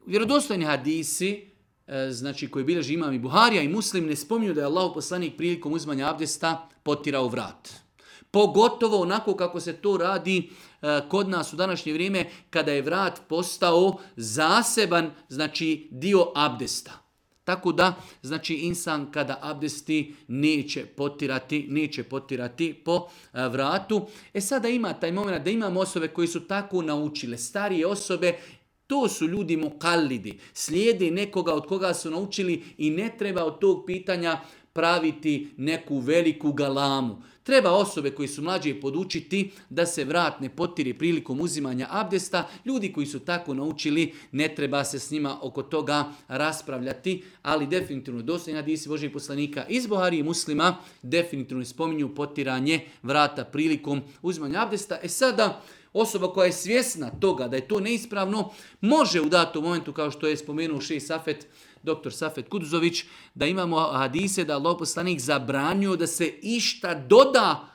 Vjerodostojni hadisi, znači koji bilježi imam i Buharija i Muslim, ne spominju da je Allahov poslanik prilikom uzimanja abdesta potirao vrat. Pogotovo onako kako se to radi kod nas u današnje vrijeme, kada je vrat postao zaseban, znači dio abdesta. Tako da, znači insan kada abdesti neće potirati po vratu. Sada ima taj moment da imamo osobe koji su tako naučile, starije osobe. To su ljudi mukallidi, slijede nekoga od koga su naučili i ne treba od tog pitanja praviti neku veliku galamu. Treba osobe koji su mlađe podučiti da se vrat ne potiri prilikom uzimanja abdesta. Ljudi koji su tako naučili, ne treba se s njima oko toga raspravljati, ali definitivno dostojni hadisi Božijeg poslanika iz Buharije i Muslima definitivno spominju potiranje vrata prilikom uzimanja abdesta. Sada, osoba koja je svjesna toga da je to neispravno, može u datom momentu, kao što je spomenuo šejh Safet, doktor Safet Kuduzović, da imamo hadise da Allahov poslanik zabranio da se išta doda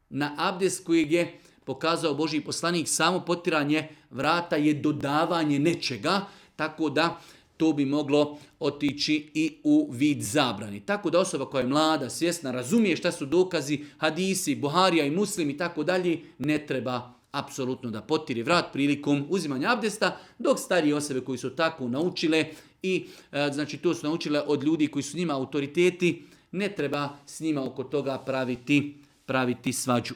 na abdest kojeg je pokazao Božji poslanik. Samo potiranje vrata je dodavanje nečega, tako da to bi moglo otići i u vid zabrani. Tako da osoba koja je mlada, svjesna, razumije šta su dokazi, hadisi, Buharija i Muslim i tako dalje, ne treba apsolutno da potiri vrat prilikom uzimanja abdesta, dok starije osobe koji su tako naučile i znači to su naučile od ljudi koji su njima autoriteti, ne treba s njima oko toga praviti svađu.